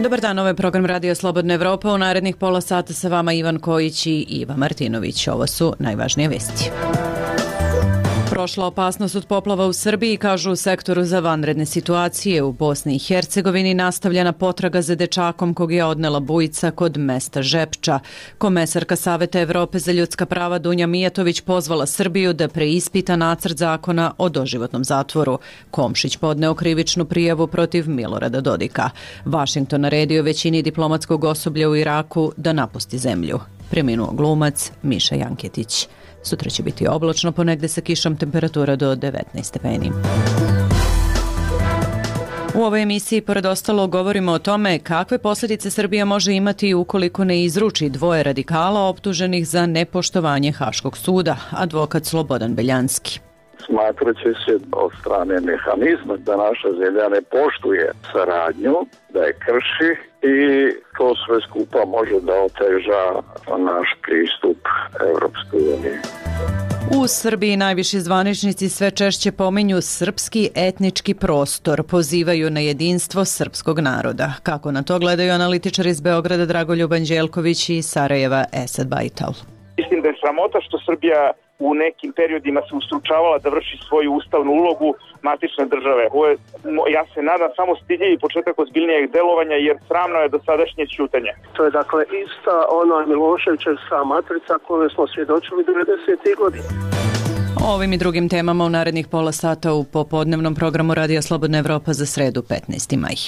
Dobar dan, ovo je program Radio Slobodna Evropa. U narednih pola sata sa vama Ivan Kojić i Iva Martinović. Ovo su najvažnije vesti. Prošla opasnost od poplava u Srbiji, kažu u sektoru za vanredne situacije. U Bosni i Hercegovini nastavljena potraga za dečakom kog je odnela bujica kod mesta Žepča. Komesarka Saveta Evrope za ljudska prava Dunja Mijatović pozvala Srbiju da preispita nacrt zakona o doživotnom zatvoru. Komšić podneo krivičnu prijavu protiv Milorada Dodika. Vašington naredio većini diplomatskog osoblja u Iraku da napusti zemlju. Preminuo glumac Miša Janketić. Sutra će biti oblačno, ponegde sa kišom, temperatura do 19 stepeni. U ovoj emisiji, pored ostalo, govorimo o tome kakve posljedice Srbija može imati ukoliko ne izruči dvoje radikala optuženih za nepoštovanje Haškog suda, advokat Slobodan Beljanski. Smatraće se od strane mehanizma da naša zemlja ne poštuje saradnju, da je krši i to sve skupa može da oteža naš pristup Evropskoj uniji. U Srbiji najviši zvaničnici sve češće pominju srpski etnički prostor, pozivaju na jedinstvo srpskog naroda. Kako na to gledaju analitičari iz Beograda Dragoljub Anđelković i Sarajeva Esad Bajtal? Mislim da je sramota što Srbija u nekim periodima se ustručavala da vrši svoju ustavnu ulogu matične države. Ovo je, ja se nadam, samo stidljivi početak ozbiljnijeg delovanja, jer sramno je dosadašnje ćutanje. To je dakle ista ona Miloševićevska matrica koju smo svjedočili 90. godina. O ovim i drugim temama u narednih pola sata u popodnevnom programu Radija Slobodna Evropa za sredu 15. maj.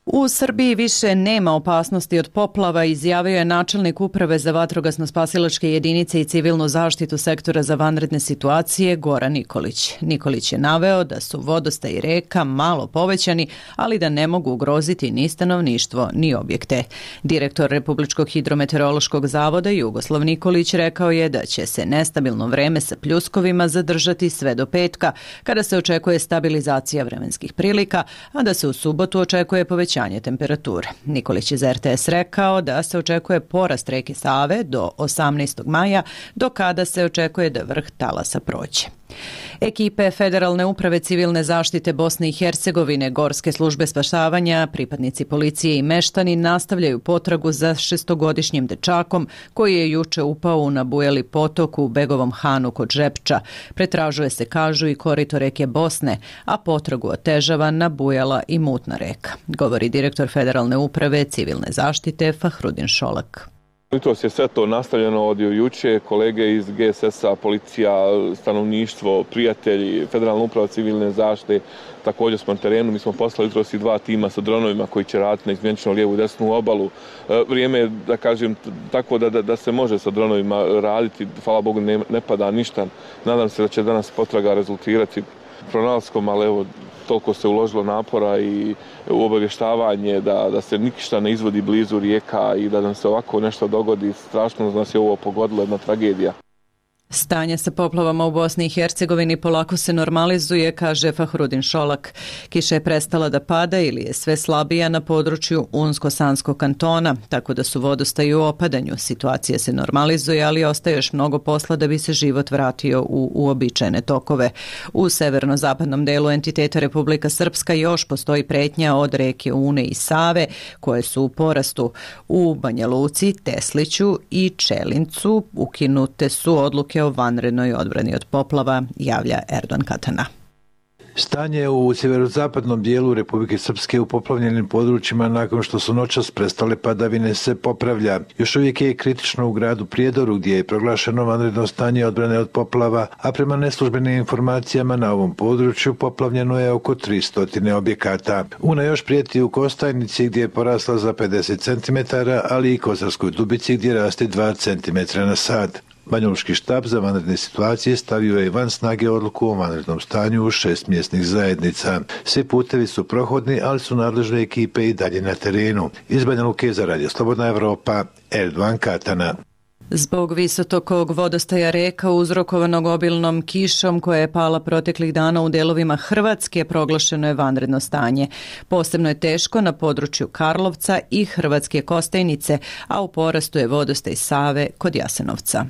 U Srbiji više nema opasnosti od poplava, izjavio je načelnik Uprave za vatrogasno-spasilačke jedinice i civilnu zaštitu sektora za vanredne situacije Goran Nikolić. Nikolić je naveo da su vodostaj reka malo povećani, ali da ne mogu ugroziti ni stanovništvo ni objekte. Direktor Republičkog hidrometeorološkog zavoda Jugoslav Nikolić rekao je da će se nestabilno vreme sa pljuskovima zadržati sve do petka, kada se očekuje stabilizacija vremenskih prilika, a da se u subotu očekuje povećanje temperature. Nikolić je za RTS rekao da se očekuje porast reke Save do 18. maja, do kada se očekuje da vrh talasa prođe. Ekipe Federalne uprave civilne zaštite Bosne i Hercegovine, Gorske službe spašavanja, pripadnici policije i meštani nastavljaju potragu za šestogodišnjim dečakom koji je juče upao u nabujali potok u Begovom Hanu kod Žepča. Pretražuje se, kažu, i korito reke Bosne, a potragu otežava nabujala i mutna reka, govori direktor Federalne uprave civilne zaštite Fahrudin Šolak. Jutros je sve to nastavljeno od juče, kolege iz GSS-a, policija, stanovništvo, prijatelji, Federalna uprava civilne zaštite, također smo na terenu. Mi smo poslali jutros i 2 tima sa dronovima koji će raditi na izmjenično lijevu i desnu obalu. Vrijeme je, da kažem, tako da se može sa dronovima raditi. Hvala Bogu, ne pada ništa. Nadam se da će danas potraga rezultirati pronalaskom, ali evo, toliko se uložilo napora i u obavještavanje da se ništa ne izvodi blizu rijeka i da nam se ovako nešto dogodi. Strašno nas je ovo pogodilo, jedna tragedija. Stanje sa poplavama u Bosni i Hercegovini polako se normalizuje, kaže Fahrudin Šolak. Kiša je prestala da pada ili je sve slabija na području Unsko-Sanskog kantona, tako da su vodostaji u opadanju. Situacija se normalizuje, ali ostaje još mnogo posla da bi se život vratio u uobičajene tokove. U severno-zapadnom delu entiteta Republika Srpska još postoji pretnja od reke Une i Save, koje su u porastu. U Banja Luci, Tesliću i Čelincu ukinute su odluke o vanrednoj odbrani od poplava, javlja Erdogan Katana. Stanje u sjeverozapadnom dijelu Republike Srpske u poplavljenim područjima nakon što su noćas prestale padavine se popravlja. Još uvijek je kritično u gradu Prijedoru gdje je proglašeno vanredno stanje odbrane od poplava, a prema neslužbenim informacijama na ovom području poplavljeno je oko 300 objekata. Una još prijeti u Kostajnici gdje je porasla za 50 cm, ali i Kozarskoj Dubici gdje raste 2 cm na sat. Banjalučki štab za vanredne situacije stavio je van snage odluku o vanrednom stanju u 6 mjesnih zajednica. Svi putevi su prohodni, ali su nadležne ekipe i dalje na terenu. Iz Banja Luke za Radio Slobodna Evropa, Erdogan Katana. Zbog visokog vodostaja reka uzrokovanog obilnom kišom koja je pala proteklih dana u delovima Hrvatske proglašeno je vanredno stanje. Posebno je teško na području Karlovca i Hrvatske Kostajnice, a u porastu je vodostaj Save kod Jasenovca.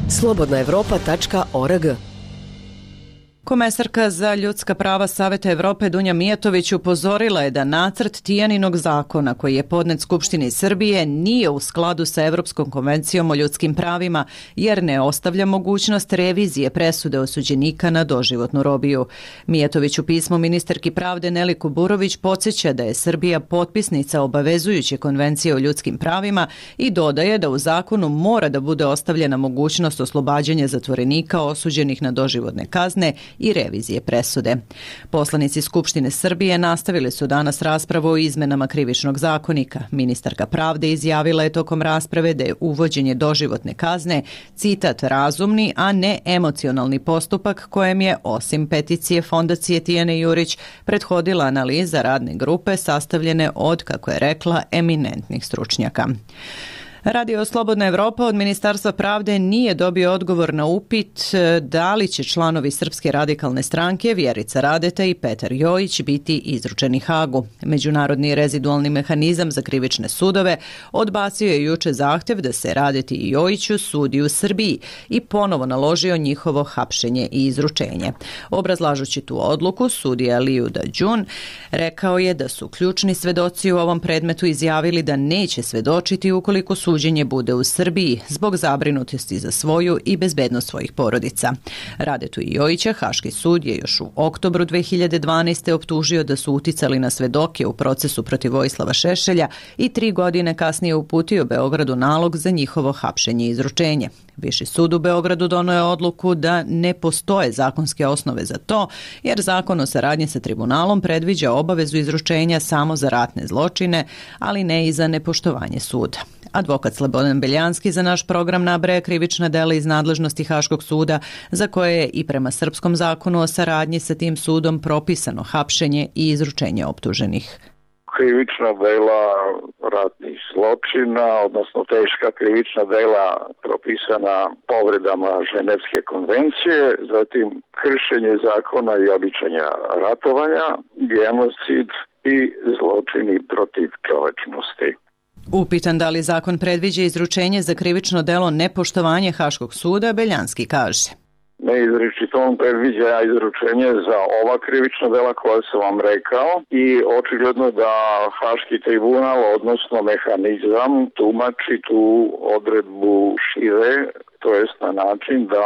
Slobodnaevropa.org Komesarka za ljudska prava Saveta Evrope Dunja Mijatović upozorila je da nacrt Tijaninog zakona koji je podnet Skupštini Srbije nije u skladu sa Evropskom konvencijom o ljudskim pravima jer ne ostavlja mogućnost revizije presude osuđenika na doživotnu robiju. Mijatović u pismu ministarki pravde Neli Kuburović podsjeća da je Srbija potpisnica obavezujuće konvencije o ljudskim pravima i dodaje da u zakonu mora da bude ostavljena mogućnost oslobađanja zatvorenika osuđenih na doživotne kazne i revizije presude. Poslanici Skupštine Srbije nastavili su danas raspravu o izmenama krivičnog zakonika. Ministarka pravde izjavila je tokom rasprave da je uvođenje doživotne kazne, citat, razumni, a ne emocionalni postupak kojem je, osim peticije Fondacije Tijane Jurić, prethodila analiza radne grupe sastavljene od, kako je rekla, eminentnih stručnjaka. Radio Slobodna Evropa od Ministarstva pravde nije dobio odgovor na upit da li će članovi Srpske radikalne stranke Vjerica Radeta i Petar Jojić biti izručeni Hagu. Međunarodni rezidualni mehanizam za krivične sudove odbacio je juče zahtjev da se Radeti i Jojiću sudi u Srbiji i ponovo naložio njihovo hapšenje i izručenje. Obrazlažući tu odluku, sudija Liju Dađun rekao je da su ključni svedoci u ovom predmetu izjavili da neće svedočiti ukoliko suđenje bude u Srbiji zbog zabrinutosti za svoju i bezbednost svojih porodica. Radetu i Jojića Haški sud je još u oktobru 2012. optužio da su uticali na svedoke u procesu protiv Vojislava Šešelja i 3 godine kasnije uputio Beogradu nalog za njihovo hapšenje i izručenje. Viši sud u Beogradu donio je odluku da ne postoje zakonske osnove za to, jer zakon o saradnji sa tribunalom predviđa obavezu izručenja samo za ratne zločine, ali ne i za nepoštovanje suda. Advokat Slobodan Beljanski za naš program nabraja krivična dela iz nadležnosti Haškog suda, za koje je i prema srpskom zakonu o saradnji sa tim sudom propisano hapšenje i izručenje optuženih. Krivična dela ratnih zločina, odnosno teška krivična dela propisana povredama Ženevske konvencije, zatim kršenje zakona i običaja ratovanja, genocid i zločini protiv čovečnosti. Upitan da li zakon predviđa izručenje za krivično delo nepoštovanje Haškog suda, Beljanski kaže: Neizričito on predviđa izručenje za ova krivična dela koja sam vam rekao i očigledno da Haški tribunal, odnosno mehanizam, tumači tu odredbu šire, to jest na način da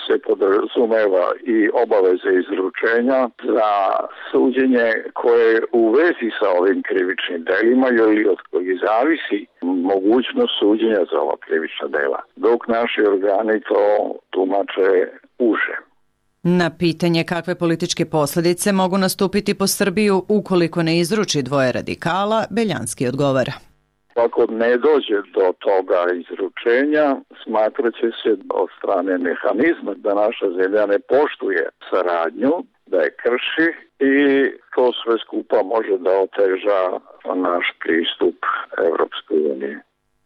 se podrazumeva i obaveze izručenja za suđenje koje je u vezi sa ovim krivičnim delima ili od kojih zavisi mogućnost suđenja za ova krivična dela, dok naši organi to tumače uže. Na pitanje kakve političke posljedice mogu nastupiti po Srbiju ukoliko ne izruči dvoje radikala, Beljanski odgovara: Ako ne dođe do toga izručenja, smatrat će se od strane mehanizma da naša zemlja ne poštuje saradnju, da je krši i to sve skupa može da oteža naš pristup Evropskoj uniji.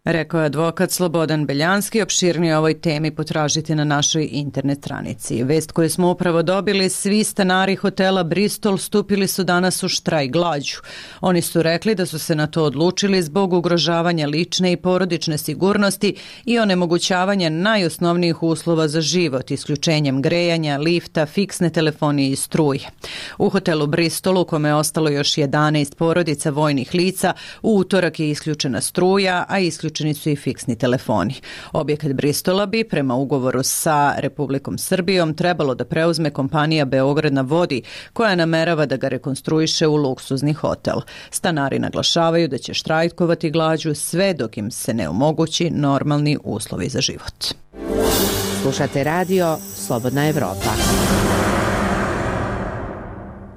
Rekao je advokat Slobodan Beljanski. Opširnije o ovoj temi potražite na našoj internet stranici. Vest koju smo upravo dobili: svi stanari hotela Bristol stupili su danas u štrajk glađu. Oni su rekli da su se na to odlučili zbog ugrožavanja lične i porodične sigurnosti i onemogućavanja najosnovnijih uslova za život, isključenjem grejanja, lifta, fiksne telefonije i struje. U hotelu Bristol, u kome je ostalo još 11 porodica vojnih lica, u utorak je isključena struja, a isključeni su i fiksni telefoni. Objekat Bristola bi prema ugovoru sa Republikom Srbijom trebalo da preuzme kompanija Beograd na vodi, koja namerava da ga rekonstruiše u luksuzni hotel. Stanari naglašavaju da će štrajkovati glađu sve dok im se ne omogući normalni uslovi za život. Slušate radio Slobodna Evropa.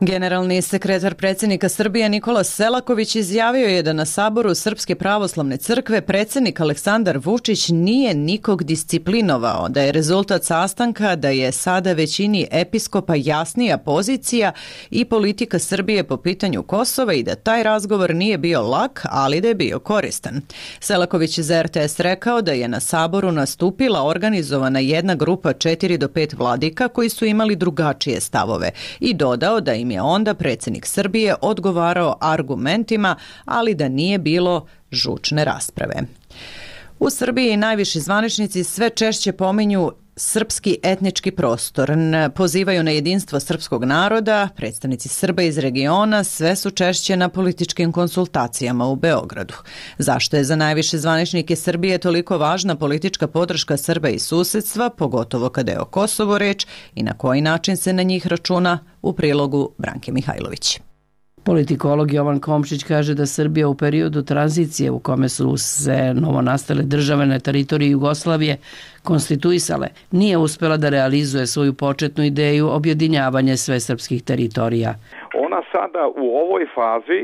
Generalni sekretar predsjednika Srbije Nikola Selaković izjavio je da na saboru Srpske pravoslavne crkve predsjednik Aleksandar Vučić nije nikog disciplinovao, da je rezultat sastanka da je sada većini episkopa jasnija pozicija i politika Srbije po pitanju Kosova i da taj razgovor nije bio lak, ali da je bio koristan. Selaković za RTS rekao da je na saboru nastupila organizovana jedna grupa 4 do 5 vladika koji su imali drugačije stavove i dodao da im je onda predsjednik Srbije odgovarao argumentima, ali da nije bilo žučne rasprave. U Srbiji najviši zvaničnici sve češće pominju srpski etnički prostor. Pozivaju na jedinstvo srpskog naroda, predstavnici Srba iz regiona sve su češće na političkim konsultacijama u Beogradu. Zašto je za najviše zvaničnike Srbije toliko važna politička podrška Srba i susedstva, pogotovo kada je o Kosovu reč, i na koji način se na njih računa, u prilogu Branke Mihajlović. Politikolog Jovan Komšić kaže da Srbija u periodu tranzicije u kome su se novonastale države na teritoriji Jugoslavije konstituisale, nije uspela da realizuje svoju početnu ideju objedinjavanja svesrpskih teritorija. Ona sada u ovoj fazi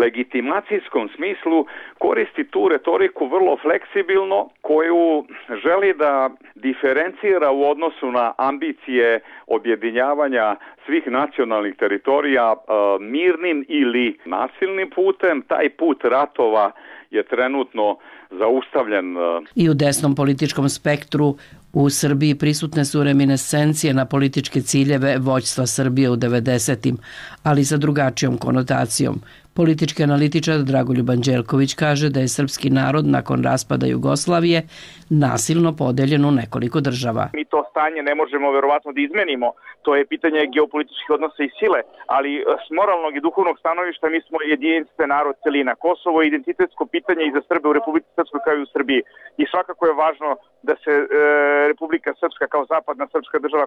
legitimacijskom smislu koristi tu retoriku vrlo fleksibilno, koju želi da diferencira u odnosu na ambicije objedinjavanja svih nacionalnih teritorija mirnim ili nasilnim putem. Taj put ratova je trenutno zaustavljen. I u desnom političkom spektru u Srbiji prisutne su reminiscencije na političke ciljeve vođstva Srbije u 90-im, ali sa drugačijom konotacijom. Politički analitičar Dragoljub Anđelković kaže da je srpski narod nakon raspada Jugoslavije nasilno podeljen u nekoliko država. Mi to stanje ne možemo verovatno da izmenimo. To je pitanje geopolitičkih odnosa i sile, ali s moralnog i duhovnog stanovišta mi smo jedinstven narod celina. Kosovo je identitetsko pitanje i za Srbe u Republici Srpskoj kao i u Srbiji. I svakako je važno da se Republika Srpska kao zapadna srpska država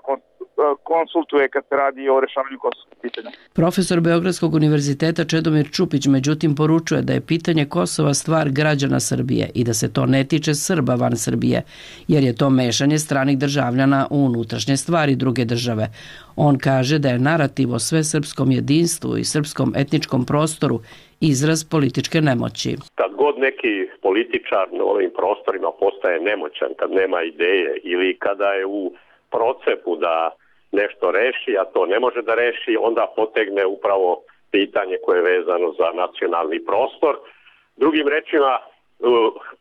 konsultuje kad se radi o rešavanju kosovskog pitanja. Profesor Beogradskog univerziteta Čedomir Čupić međutim poručuje da je pitanje Kosova stvar građana Srbije i da se to ne tiče Srba van Srbije, jer je to mešanje stranih državljana u unutrašnje stvari druge države. On kaže da je narativ o svesrpskom jedinstvu i srpskom etničkom prostoru izraz političke nemoći. Kad god neki političar na ovim prostorima postaje nemoćan, kad nema ideje ili kada je u procepu da nešto reši, a to ne može da reši, onda potegne upravo pitanje koje je vezano za nacionalni prostor. Drugim rečima,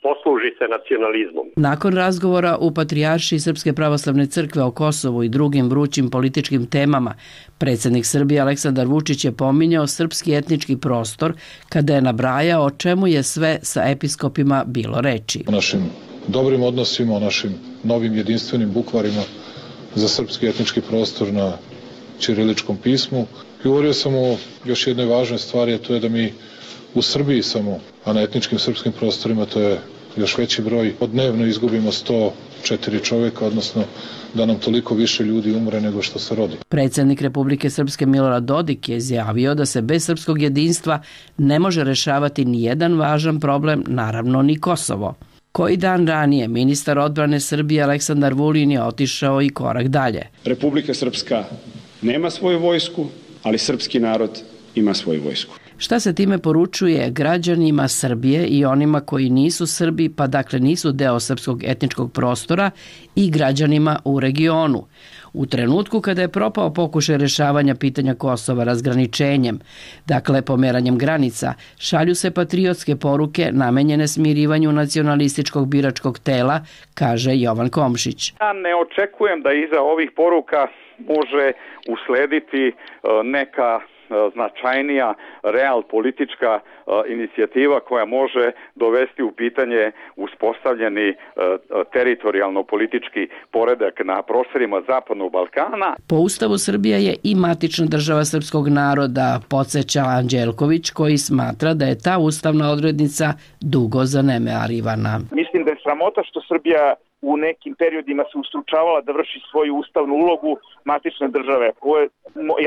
posluži se nacionalizmom. Nakon razgovora u Patrijaršiji Srpske pravoslavne crkve o Kosovu i drugim vrućim političkim temama, predsjednik Srbije Aleksandar Vučić je pominjao srpski etnički prostor kada je nabrajao o čemu je sve sa episkopima bilo reči. O našim dobrim odnosima, o našim novim jedinstvenim bukvarima za srpski etnički prostor na ćiriličkom pismu. Govorio sam o još jednoj važnoj stvari, a to je da mi u Srbiji samo, a na etničkim srpskim prostorima to je još veći broj, dnevno izgubimo 104 čovjeka, odnosno da nam toliko više ljudi umre nego što se rodi. Predsjednik Republike Srpske Milorad Dodik je izjavio da se bez srpskog jedinstva ne može rešavati ni jedan važan problem, naravno ni Kosovo. Koji dan ranije ministar odbrane Srbije Aleksandar Vulin je otišao i korak dalje. Republika Srpska nema svoju vojsku, ali srpski narod ima svoju vojsku. Šta se time poručuje građanima Srbije i onima koji nisu Srbi, pa dakle nisu deo srpskog etničkog prostora, i građanima u regionu? U trenutku kada je propao pokušaj rešavanja pitanja Kosova razgraničenjem, dakle pomeranjem granica, šalju se patriotske poruke namenjene smirivanju nacionalističkog biračkog tela, kaže Jovan Komšić. Ja ne očekujem da iza ovih poruka može uslediti neka značajnija real politička inicijativa koja može dovesti u pitanje uspostavljeni teritorijalno politički poredak na prostorima Zapadnog Balkana. Po Ustavu Srbija je i matična država srpskog naroda, podsjeća Anđelković, koji smatra da je ta ustavna odrednica dugo zanemarivana. Mislim da je sramota što Srbija u nekim periodima se ustručavala da vrši svoju ustavnu ulogu matične države. Ovo je,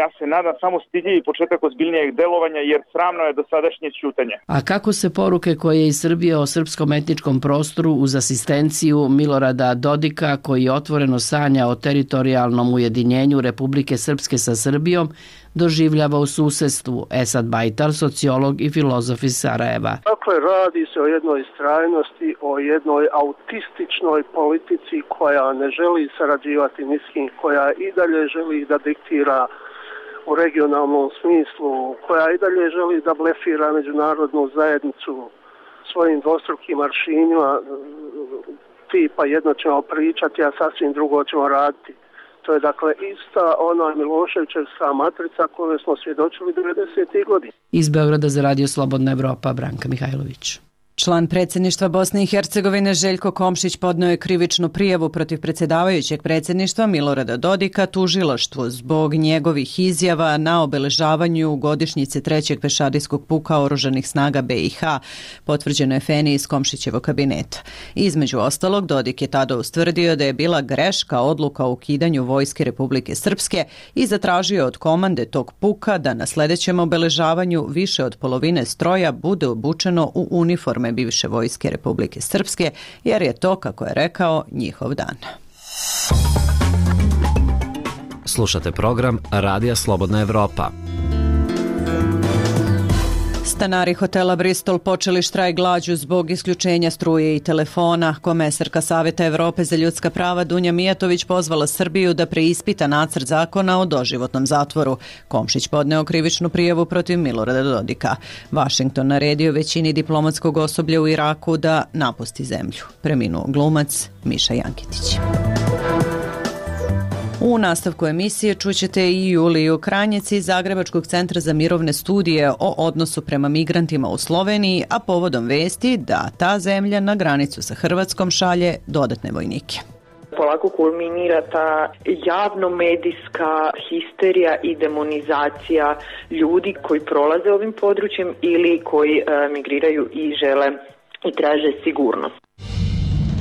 ja se nadam, samo stidljivi početak ozbiljnijeg delovanja, jer sramno je dosadašnje ćutanje. A kako se poruke koje iz Srbije o srpskom etničkom prostoru uz asistenciju Milorada Dodika, koji otvoreno sanja o teritorijalnom ujedinjenju Republike Srpske sa Srbijom, doživljava u susedstvu? Esad Bajtar, sociolog i filozof iz Sarajeva. Dakle, radi se o jednoj istrajnosti, o jednoj autističnoj politici koja ne želi sarađivati ni s kim, koja i dalje želi da diktira u regionalnom smislu, koja i dalje želi da blefira međunarodnu zajednicu svojim dvostrukim aršinima, tipa jedno ćemo pričati, a sasvim drugo ćemo raditi. To je dakle ista ona Miloševićevska matrica koju smo svjedočili 90. godina. Iz Beograda za Radio Slobodna Evropa, Branka Mihajlović. Član predsjedništva Bosne i Hercegovine Željko Komšić podneo je krivičnu prijavu protiv predsjedavajućeg predsjedništva Milorada Dodika tužilaštvu zbog njegovih izjava na obeležavanju godišnjice trećeg pešadijskog puka oružanih snaga BiH, potvrđeno je Feni iz Komšićevog kabineta. Između ostalog, Dodik je tada ustvrdio da je bila greška odluka o ukidanju vojske Republike Srpske i zatražio od komande tog puka da na sljedećem obeležavanju više od polovine stroja bude obučeno u uniforme bivše vojske Republike Srpske, jer je to, kako je rekao, njihov dan. Slušate program Radija Slobodna Evropa. Stanari hotela Bristol počeli štrajk glađu zbog isključenja struje i telefona. Komesarka Saveta Evrope za ljudska prava Dunja Mijatović pozvala Srbiju da preispita nacrt zakona o doživotnom zatvoru. Komšić podneo krivičnu prijavu protiv Milorada Dodika. Vašington naredio većini diplomatskog osoblja u Iraku da napusti zemlju. Preminuo glumac Miša Jankitić. U nastavku emisije čućete i Juliju Kranjec iz Zagrebačkog centra za mirovne studije o odnosu prema migrantima u Sloveniji, a povodom vesti da ta zemlja na granicu sa Hrvatskom šalje dodatne vojnike. Polako kulminira ta javno-medijska histerija i demonizacija ljudi koji prolaze ovim područjem ili koji migriraju i žele i traže sigurnost.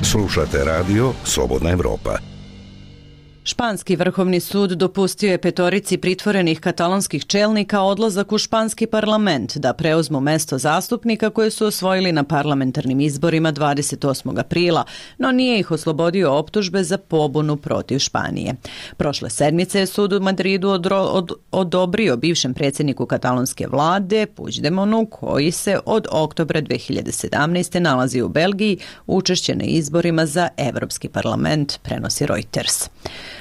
Slušate radio Slobodna Evropa. Španski vrhovni sud dopustio je 5 pritvorenih katalonskih čelnika odlazak u španski parlament da preuzmu mesto zastupnika koje su osvojili na parlamentarnim izborima 28. aprila, no nije ih oslobodio optužbe za pobunu protiv Španije. Prošle sedmice je sud u Madridu odobrio bivšem predsjedniku katalonske vlade Puigdemonu, koji se od oktobra 2017. nalazi u Belgiji, učešće na izborima za Evropski parlament, prenosi Reuters.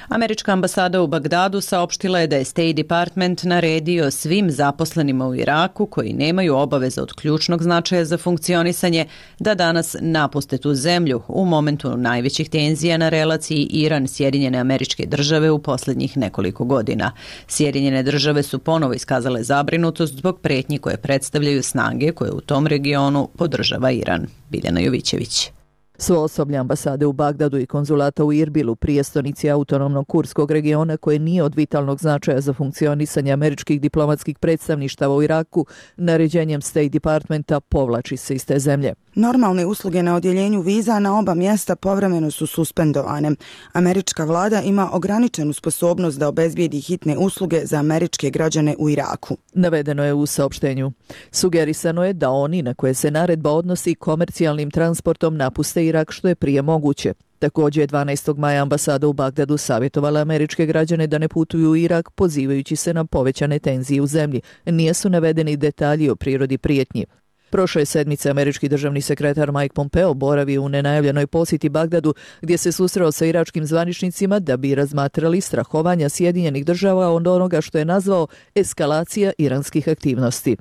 Američka ambasada u Bagdadu saopštila je da je State Department naredio svim zaposlenima u Iraku koji nemaju obaveza od ključnog značaja za funkcionisanje da danas napuste tu zemlju u momentu najvećih tenzija na relaciji Iran-Sjedinjene Američke Države u posljednjih nekoliko godina. Sjedinjene Države su ponovo iskazale zabrinutost zbog pretnji koje predstavljaju snage koje u tom regionu podržava Iran. Biljana Jovićević. Svo osoblje ambasade u Bagdadu i konzulata u Irbilu, prijestolnici autonomnog kurskog regiona koje nije od vitalnog značaja za funkcionisanje američkih diplomatskih predstavništava u Iraku, naređenjem State Departmenta povlači se iz te zemlje. Normalne usluge na odjeljenju viza na oba mjesta povremeno su suspendovane. Američka vlada ima ograničenu sposobnost da obezbijedi hitne usluge za američke građane u Iraku. Navedeno je u saopštenju. Sugerisano je da oni na koje se naredba odnosi komercijalnim transportom napuste Irak što je prije moguće. Također je 12. maja ambasada u Bagdadu savjetovala američke građane da ne putuju u Irak, pozivajući se na povećane tenzije u zemlji. Nisu navedeni detalji o prirodi prijetnji. Prošle sedmice američki državni sekretar Mike Pompeo boravio u nenajavljenoj posjeti Bagdadu gdje se susreo sa iračkim zvaničnicima da bi razmatrali strahovanja Sjedinjenih Država od onoga što je nazvao eskalacija iranskih aktivnosti.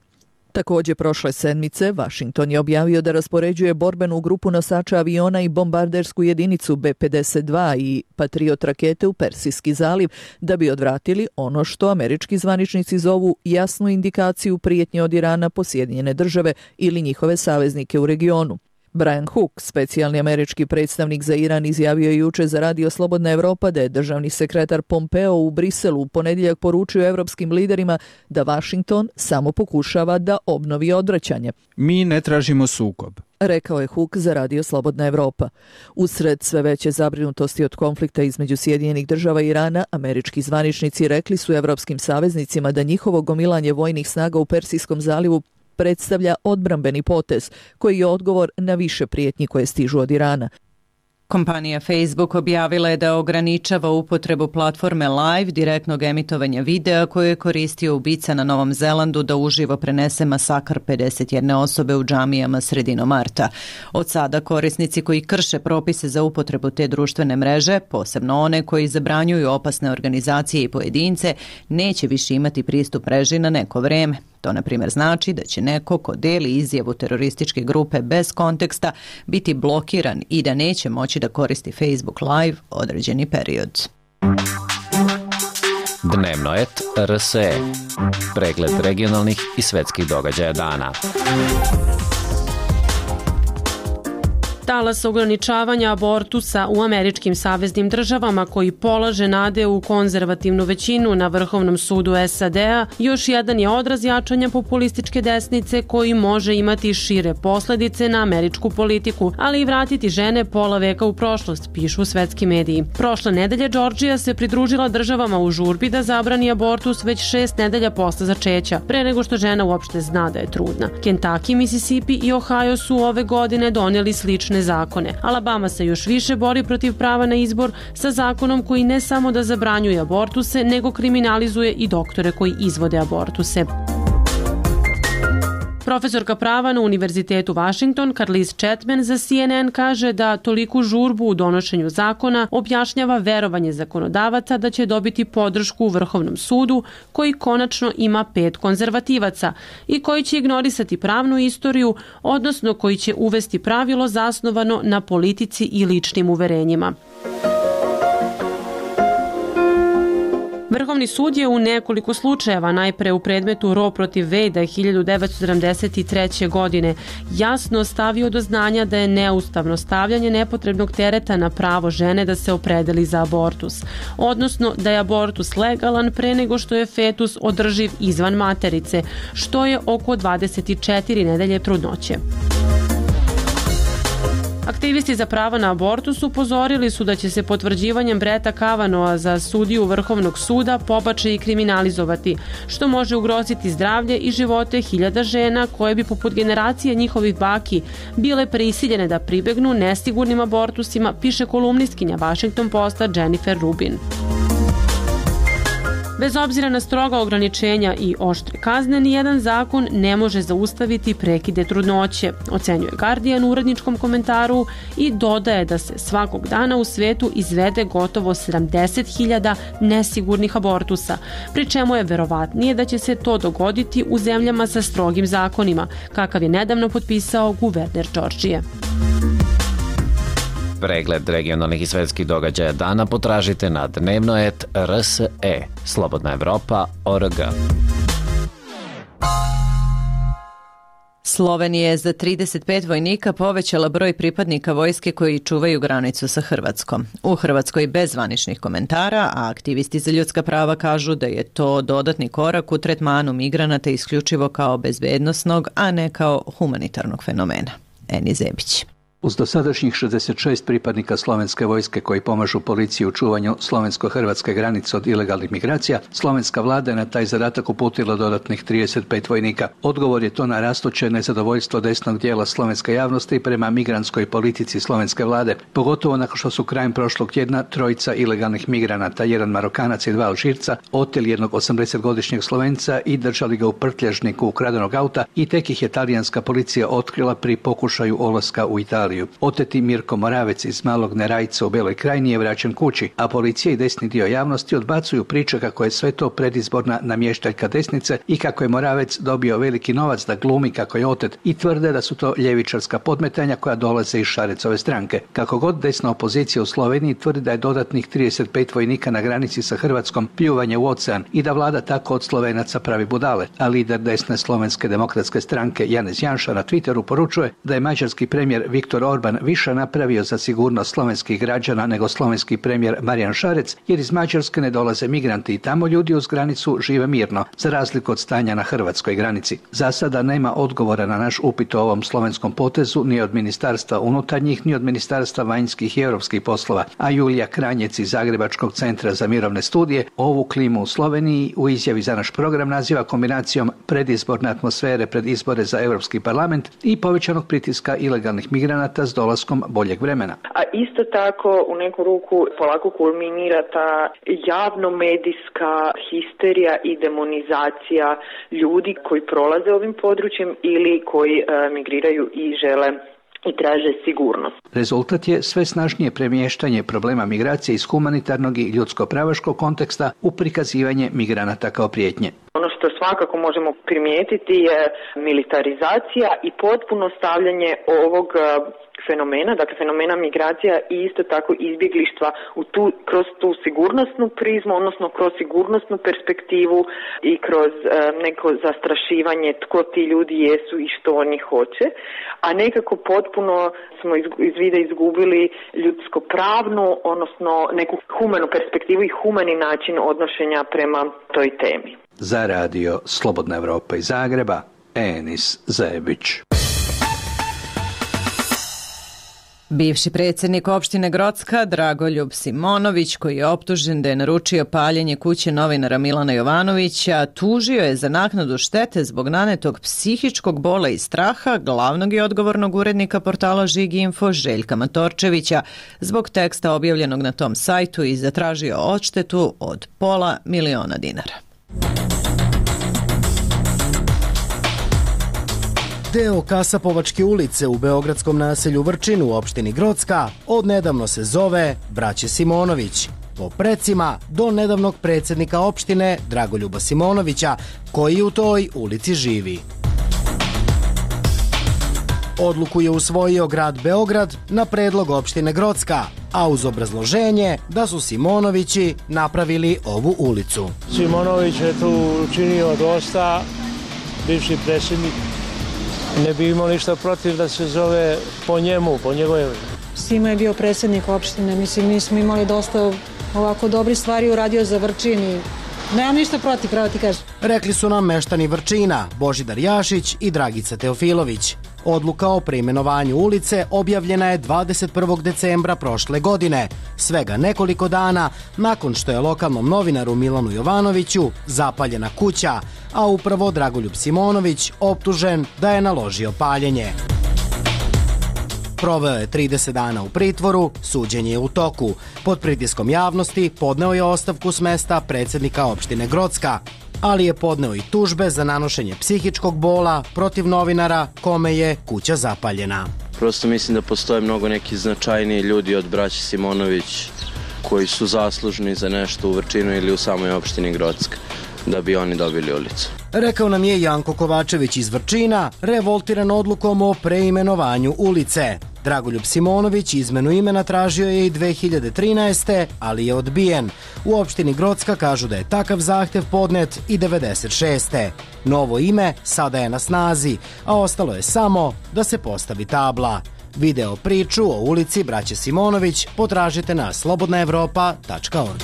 Također prošle sedmice Washington je objavio da raspoređuje borbenu grupu nosača aviona i bombardersku jedinicu B-52 i Patriot rakete u Persijski zaliv da bi odvratili ono što američki zvaničnici zovu jasnu indikaciju prijetnje od Irana po Sjedinjene Države ili njihove saveznike u regionu. Brian Hook, specijalni američki predstavnik za Iran, izjavio je juče za Radio Slobodna Evropa da je državni sekretar Pompeo u Briselu u ponedjeljak poručio evropskim liderima da Washington samo pokušava da obnovi odvraćanje. Mi ne tražimo sukob, rekao je Hook za Radio Slobodna Evropa. Usred sve veće zabrinutosti od konflikta između Sjedinjenih Država i Irana, američki zvaničnici rekli su evropskim saveznicima da njihovo gomilanje vojnih snaga u Persijskom zalivu predstavlja odbrambeni potez koji je odgovor na više prijetnji koje stižu od Irana. Kompanija Facebook objavila je da ograničava upotrebu platforme Live, direktnog emitovanja videa koje je koristio ubica na Novom Zelandu da uživo prenese masakr 51 osobe u džamijama sredinom marta. Od sada korisnici koji krše propise za upotrebu te društvene mreže, posebno one koji zabranjuju opasne organizacije i pojedince, neće više imati pristup mreži na neko vreme. To, na primjer, znači da će neko ko deli izjavu terorističke grupe bez konteksta biti blokiran i da neće moći da koristi Facebook Live određeni period. Dnevnoet RSE. Pregled regionalnih i svetskih događaja dana. Talas ograničavanja abortusa u američkim saveznim državama koji polaže nade u konzervativnu većinu na Vrhovnom sudu SAD-a još jedan je odraz jačanja populističke desnice koji može imati šire posledice na američku politiku, ali i vratiti žene pola veka u prošlost, pišu svetski mediji. Prošle nedelje Džordžija se pridružila državama u žurbi da zabrani abortus već 6 nedelja posle začeća, pre nego što žena uopšte zna da je trudna. Kentucky, Mississippi i Ohio su ove godine donijeli slične zakone. Alabama se još više bori protiv prava na izbor sa zakonom koji ne samo da zabranjuje abortuse, nego kriminalizuje i doktore koji izvode abortuse. Profesorka prava na Univerzitetu Washington, Carlize Chapman, za CNN kaže da toliku žurbu u donošenju zakona objašnjava verovanje zakonodavaca da će dobiti podršku u Vrhovnom sudu, koji konačno ima 5 konzervativaca i koji će ignorisati pravnu istoriju, odnosno koji će uvesti pravilo zasnovano na politici i ličnim uverenjima. Vrhovni sud je u nekoliko slučajeva, najpre u predmetu Roe protiv Wade 1973. godine, jasno stavio do znanja da je neustavno stavljanje nepotrebnog tereta na pravo žene da se opredeli za abortus, odnosno da je abortus legalan pre nego što je fetus održiv izvan materice, što je oko 24 nedelje trudnoće. Aktivisti za pravo na abortus upozorili su da će se potvrđivanjem Bretta Kavanagha za sudiju Vrhovnog suda pobačaj kriminalizovati, što može ugroziti zdravlje i živote hiljada žena koje bi poput generacije njihovih baki bile prisiljene da pribegnu nesigurnim abortusima, piše kolumnistkinja Washington Posta Jennifer Rubin. Bez obzira na stroga ograničenja i oštre kazne, nijedan zakon ne može zaustaviti prekide trudnoće, ocenjuje Guardian u uredničkom komentaru i dodaje da se svakog dana u svetu izvede gotovo 70.000 nesigurnih abortusa, pri čemu je verovatnije da će se to dogoditi u zemljama sa strogim zakonima, kakav je nedavno potpisao guverner Džordžije. Pregled regionalnih i svetskih događaja dana potražite na dnevnoet.rse, slobodnaevropa.org. Slovenija je za 35 vojnika povećala broj pripadnika vojske koji čuvaju granicu sa Hrvatskom. U Hrvatskoj bez zvaničnih komentara, a aktivisti za ljudska prava kažu da je to dodatni korak u tretmanu migranata isključivo kao bezbednosnog, a ne kao humanitarnog fenomena. Eni Zebić. Uz dosadašnjih 66 pripadnika slovenske vojske koji pomažu policiji u čuvanju slovensko-hrvatske granice od ilegalnih migracija, slovenska vlada je na taj zadatak uputila dodatnih 35 vojnika. Odgovor je to na rastuće nezadovoljstvo desnog dijela slovenske javnosti prema migrantskoj politici slovenske vlade, pogotovo nakon što su krajem prošlog tjedna trojica ilegalnih migranata, jedan Marokanac i 2 Alžirca, oteli jednog 80-godišnjeg Slovenca i držali ga u prtljažniku ukradenog auta i tek ih je talijanska policija otkrila pri pokušaju ulaska u Italiju. Oteti Mirko Moravec iz Malog Nerajca u Beloj Krajini je vraćen kući, a policija i desni dio javnosti odbacuju priče kako je sve to predizborna namještaljka desnice i kako je Moravec dobio veliki novac da glumi kako je otet i tvrde da su to ljevičarska podmetanja koja dolaze iz Šarecove stranke. Kako god desna opozicija u Sloveniji tvrdi da je dodatnih 35 vojnika na granici sa Hrvatskom pljuvanje u ocean i da vlada tako od Slovenaca pravi budale, a lider desne slovenske demokratske stranke Janez Janša na Twitteru poručuje da je mađarski premijer Viktor Orban više napravio za sigurnost slovenskih građana nego slovenski premijer Marijan Šarec, jer iz Mađarske ne dolaze migranti i tamo ljudi uz granicu žive mirno, za razliku od stanja na hrvatskoj granici. Za sada nema odgovora na naš upit o ovom slovenskom potezu ni od Ministarstva unutarnjih, ni od Ministarstva vanjskih i europskih poslova, a Julija Kranjec iz Zagrebačkog centra za mirovne studije ovu klimu u Sloveniji u izjavi za naš program naziva kombinacijom predizborne atmosfere pred izbore za Europski parlament i povećanog pritiska ilegalnih migranata s dolaskom boljeg vremena. A isto tako u neku ruku polako kulminira ta javno-medijska histerija i demonizacija ljudi koji prolaze ovim područjem ili koji migriraju i žele i traže sigurnost. Rezultat je sve snažnije premještanje problema migracije iz humanitarnog i ljudsko-pravaškog konteksta u prikazivanje migranata kao prijetnje. Ono što svakako možemo primijetiti je militarizacija i potpuno stavljanje ovog fenomena, dakle fenomena migracija i isto tako izbjeglištva kroz tu sigurnosnu prizmu, odnosno kroz sigurnosnu perspektivu i kroz neko zastrašivanje tko ti ljudi jesu i što oni hoće, a nekako potpuno smo iz vida izgubili ljudsko-pravnu, odnosno neku humanu perspektivu i humani način odnošenja prema toj temi. Za radio Slobodna Evropa iz Zagreba, Enis Zajebić. Bivši predsjednik opštine Grocka Dragoljub Simonović, koji je optužen da je naručio paljenje kuće novinara Milana Jovanovića, tužio je za naknadu štete zbog nanetog psihičkog bola i straha glavnog i odgovornog urednika portala Žig.info Željka Matorčevića zbog teksta objavljenog na tom sajtu i zatražio odštetu od $500.000. Deo Kasapovačke ulice u beogradskom naselju Vrčin u opštini Grocka odnedavno se zove Braće Simonović, po precima do nedavnog predsjednika opštine Dragoljuba Simonovića, koji u toj ulici živi. Odluku je usvojio grad Beograd na predlog opštine Grocka, a uz obrazloženje da su Simonovići napravili ovu ulicu. Simonović je tu učinio dosta, bivši predsjednik. Ne bi imao ništa protiv da se zove po njemu, po njegove. Simo je bio predsjednik opštine, mislim, mi smo imali dosta ovako dobri stvari uradio za Vrčin i nemam ništa protiv, pravo ti kažem. Rekli su nam meštani Vrčina, Božidar Jašić i Dragica Teofilović. Odluka o preimenovanju ulice objavljena je 21. decembra prošle godine, svega nekoliko dana nakon što je lokalnom novinaru Milanu Jovanoviću zapaljena kuća, a upravo Dragoljub Simonović optužen da je naložio paljenje. Proveo je 30 dana u pritvoru, suđenje je u toku. Pod pritiskom javnosti podneo je ostavku s mesta predsjednika opštine Grocka, ali je podneo i tužbe za nanošenje psihičkog bola protiv novinara kome je kuća zapaljena. Prosto mislim da postoje mnogo neki značajniji ljudi od braće Simonović koji su zaslužni za nešto u Vrčinu ili u samoj opštini Grocka, da bi oni dobili ulicu. Rekao nam je Janko Kovačević iz Vrčina, revoltiran odlukom o preimenovanju ulice. Dragoljub Simonović izmenu imena tražio je i 2013. ali je odbijen. U opštini Grocka kažu da je takav zahtev podnet i 96. Novo ime sada je na snazi, a ostalo je samo da se postavi tabla. Video priču o ulici Braće Simonović potražite na slobodnaevropa.org.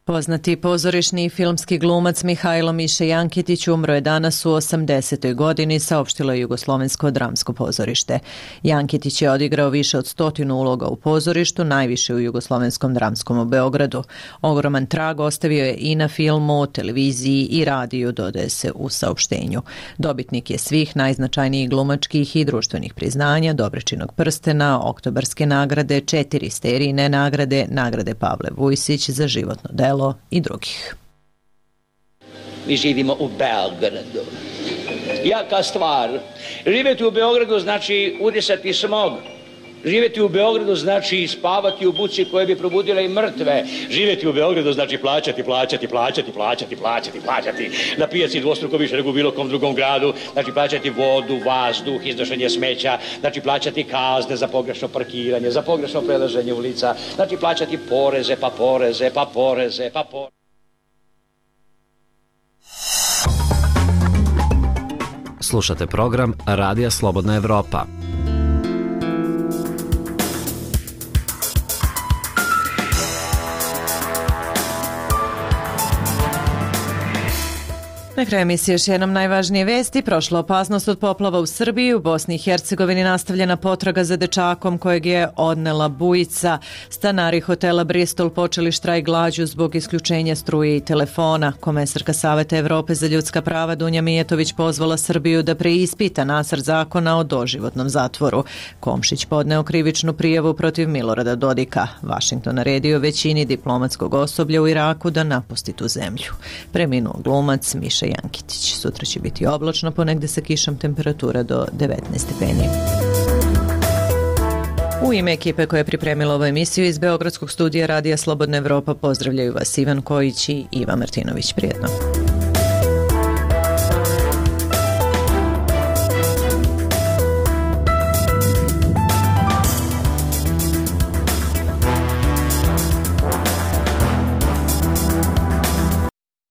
Poznati pozorišni i filmski glumac Mihajlo Miše Jankitić umro je danas u 80. godini, saopštilo je Jugoslovensko dramsko pozorište. Jankitić je odigrao više od 100 uloga u pozorištu, najviše u Jugoslovenskom dramskom u Beogradu. Ogroman trag ostavio je i na filmu, televiziji i radiju, dodaje se u saopštenju. Dobitnik je svih najznačajnijih glumačkih i društvenih priznanja, Dobričinog prstena, Oktobarske nagrade, 4 Sterijine nagrade, nagrade Pavle Vujsić za životno delo i drugih. Mi živimo u Beogradu. Jaka stvar. Živjeti u Beogradu znači udisati smog. Živjeti u Beogradu znači spavati u buci koje bi probudile i mrtve. Živjeti u Beogradu znači plaćati. Na pijaci dvostruko više nego u bilo kom drugom gradu. Znači plaćati vodu, vazduh, iznošenje smeća. Znači plaćati kazne za pogrešno parkiranje, za pogrešno prelaženje ulica. Znači plaćati poreze. Slušate program Radija Slobodna Evropa. Na kraju emisije još jednom najvažnije vesti. Prošla opasnost od poplava u Srbiji. U Bosni i Hercegovini nastavljena potraga za dečakom kojeg je odnela bujica. Stanari hotela Bristol počeli štrajk glađu zbog isključenja struje i telefona. Komesarka Saveta Evrope za ljudska prava Dunja Mijetović pozvala Srbiju da preispita nacrt zakona o doživotnom zatvoru. Komšić podneo krivičnu prijavu protiv Milorada Dodika. Vašington naredio većini diplomatskog osoblja u Iraku da napusti tu zemlju. Preminuo glumac Miša Jankitić. Sutra će biti oblačno, ponegde sa kišom, temperatura do 19 stepeni. U ime ekipe koja je pripremila ovu emisiju iz Beogradskog studija Radija Slobodna Evropa pozdravljaju vas Ivan Kojić i Iva Martinović. Prijetno.